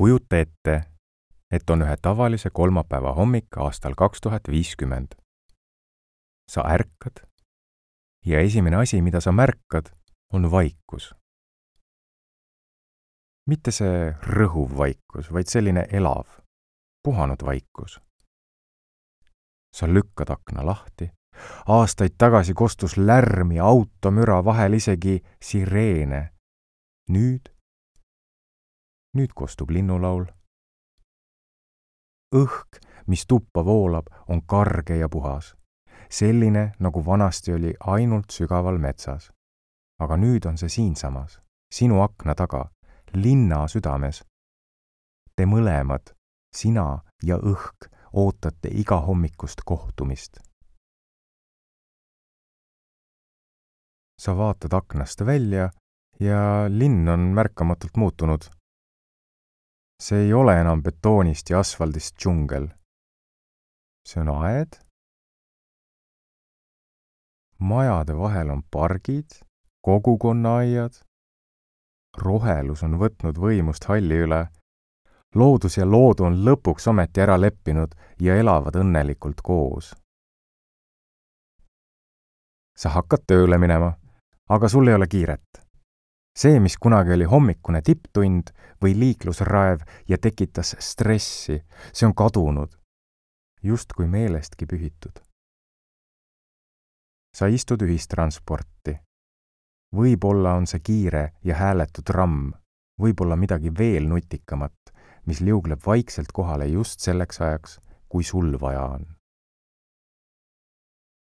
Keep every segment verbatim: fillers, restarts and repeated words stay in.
Kujuta ette, et on ühe tavalise kolmapäeva hommik aastal kaks tuhat viiskümmend. Sa ärkad ja esimene asi, mida sa märkad, on vaikus. Mitte see rõhuv vaikus, vaid selline elav, puhanud vaikus. Sa lükkad akna lahti. Aastaid tagasi kostus lärm ja automüra, vahel isegi sireene. Nüüd, nüüd kostub linnulaul. Õhk, mis tuppa voolab, on karge ja puhas. Selline, nagu vanasti oli ainult sügaval metsas. Aga nüüd on see siinsamas, sinu akna taga, linna südames. Te mõlemad, sina ja õhk, ootate iga hommikust kohtumist. Sa vaatad aknast välja ja linn on märkamatult muutunud. See ei ole enam betoonist ja asfaldist džungel. See on aed. Majade vahel on pargid, kogukonnaaiad. Rohelus on võtnud võimust halli üle. Loodus ja loodu on lõpuks ometi ära leppinud ja elavad õnnelikult koos. Sa hakkad tööle minema, aga sul ei ole kiiret. See, mis kunagi oli hommikune tipptund või liiklusraev ja tekitas stressi, see on kadunud, just kui meelestki pühitud. Sa istud ühistransporti. Võib-olla on see kiire ja hääletu tramm, võib-olla midagi veel nutikamat, mis liugleb vaikselt kohale just selleks ajaks, kui sul vaja on.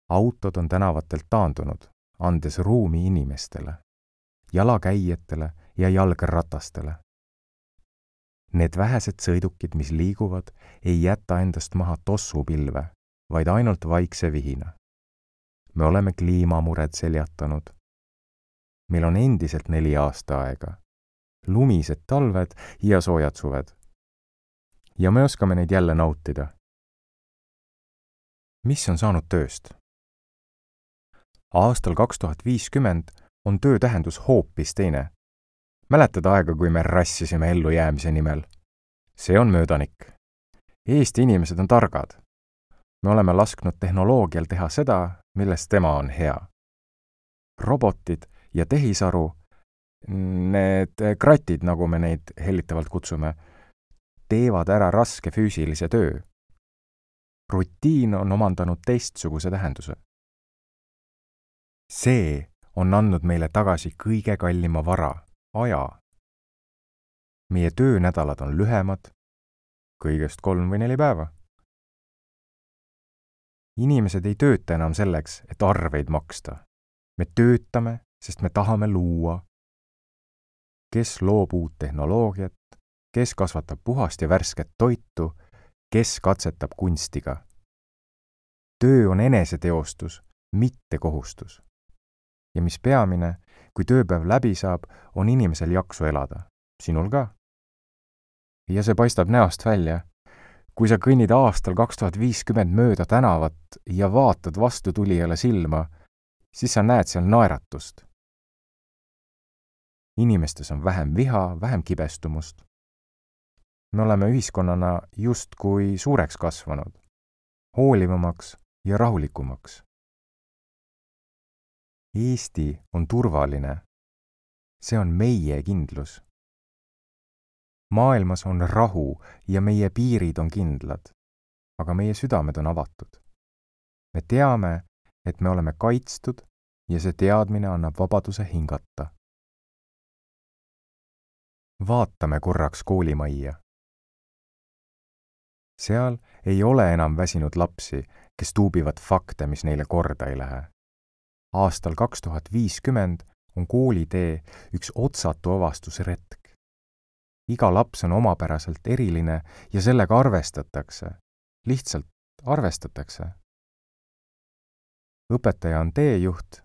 Autod on tänavatelt taandunud, andes ruumi inimestele, jalakäijatele ja jalgratastele. Need vähesed sõidukid, mis liiguvad, ei jäta endast maha tossupilve, vaid ainult vaikse vihina. Me oleme kliimamured seljatanud. Meil on endiselt neli aasta aega, lumised talved ja soojad suved. Ja me oskame neid jälle nautida. Mis on saanud tööst? Aastal kaks tuhat viiskümmend on töö tähendus hoopis teine. Mäletad aega, kui me rassisime ellujäämise nimel? See on möödanik. Eesti inimesed on targad. Me oleme lasknud tehnoloogial teha seda, milles tema on hea. Robotid ja tehisaru, need kratid, nagu me neid hellitavalt kutsume, teevad ära raske füüsilise töö. Rutiin on omandanud teistsuguse tähenduse. See on andnud meile tagasi kõige kallima vara, aja. Meie töönädalad on lühemad, kõigest kolm või neli päeva. Inimesed ei tööta enam selleks, et arveid maksta. Me töötame, sest me tahame luua. Kes loob uut tehnoloogiat, kes kasvatab puhast ja värsket toitu, kes katsetab kunstiga. Töö on eneseteostus, mitte kohustus. Ja mis peamine, kui tööpäev läbi saab, on inimesel jaksu elada. Sinul ka. Ja see paistab näost välja. Kui sa kõnnid aastal kaks tuhat viiskümmend mööda tänavat ja vaatad vastu tulijale silma, siis sa näed seal naeratust. Inimestes on vähem viha, vähem kibestumust. Me oleme ühiskonnana justkui suureks kasvanud, hoolivamaks ja rahulikumaks. Eesti on turvaline. See on meie kindlus. Maailmas on rahu ja meie piirid on kindlad, aga meie südamed on avatud. Me teame, et me oleme kaitstud ja see teadmine annab vabaduse hingata. Vaatame korraks koolimajja. Seal ei ole enam väsinud lapsi, kes tuubivad fakte, mis neile korda ei lähe. Aastal kaks tuhat viiskümmend on koolitee üks otsatu avastusretk. Iga laps on omapäraselt eriline ja sellega arvestatakse. Lihtsalt arvestatakse. Õpetaja on teejuht,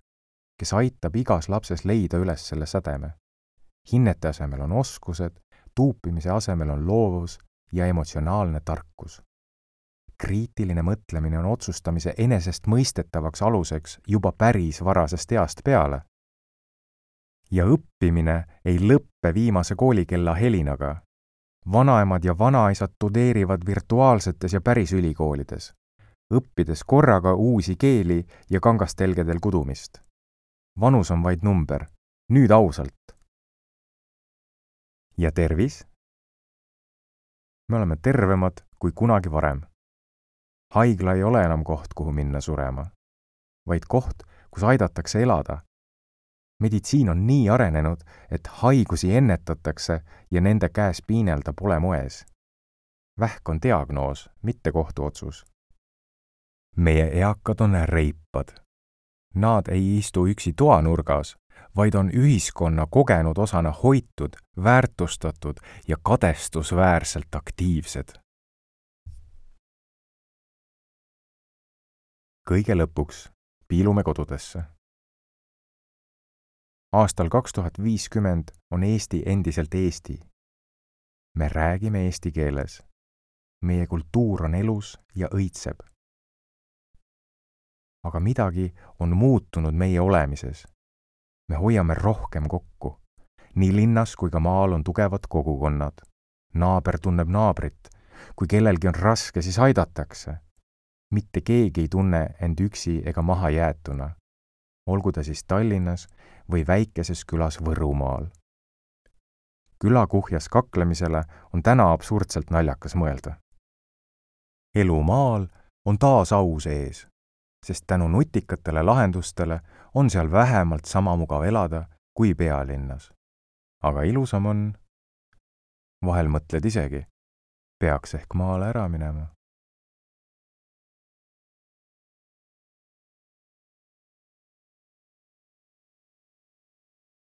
kes aitab igas lapses leida üles selle sädeme. Hinnete asemel on oskused, tuupimise asemel on loovus ja emotsionaalne tarkus. Kriitiline mõtlemine on otsustamise enesest mõistetavaks aluseks juba päris varasest east peale. Ja õppimine ei lõppe viimase koolikella helinaga, vanaemad ja vanaisad tudeerivad virtuaalsetes ja päris ülikoolides, õppides korraga uusi keeli ja kangastelgedel kudumist. Vanus on vaid number, nüüd ausalt. Ja tervis? Me oleme tervemad kui kunagi varem. Haigla ei ole enam koht, kuhu minna surema, vaid koht, kus aidatakse elada. Meditsiin on nii arenenud, et haigusi ennetatakse ja nende käes piinelda pole moes. Vähk on diagnoos, mitte kohtuotsus. Meie eakad on reipad. Nad ei istu üksi toanurgas, vaid on ühiskonna kogenud osana hoitud, väärtustatud ja kadestusväärselt aktiivsed. Kõige lõpuks piilume kodudesse. Aastal kaks tuhat viiskümmend on Eesti endiselt Eesti. Me räägime eesti keeles. Meie kultuur on elus ja õitseb. Aga midagi on muutunud meie olemises. Me hoiame rohkem kokku. Nii linnas kui ka maal on tugevad kogukonnad. Naaber tunneb naabrit. Kui kellelgi on raske, siis aidatakse. Mitte keegi ei tunne end üksi ega maha jäetuna. Olgu ta siis Tallinnas või väikeses külas Võrumaal. Külakuhjas kaklemisele on täna absurdselt naljakas mõelda. Elu maal on taas au sees, sest tänu nutikatele lahendustele on seal vähemalt sama mugav elada kui pealinnas. Aga ilusam on, vahel mõtled isegi, peaks ehk maale ära minema.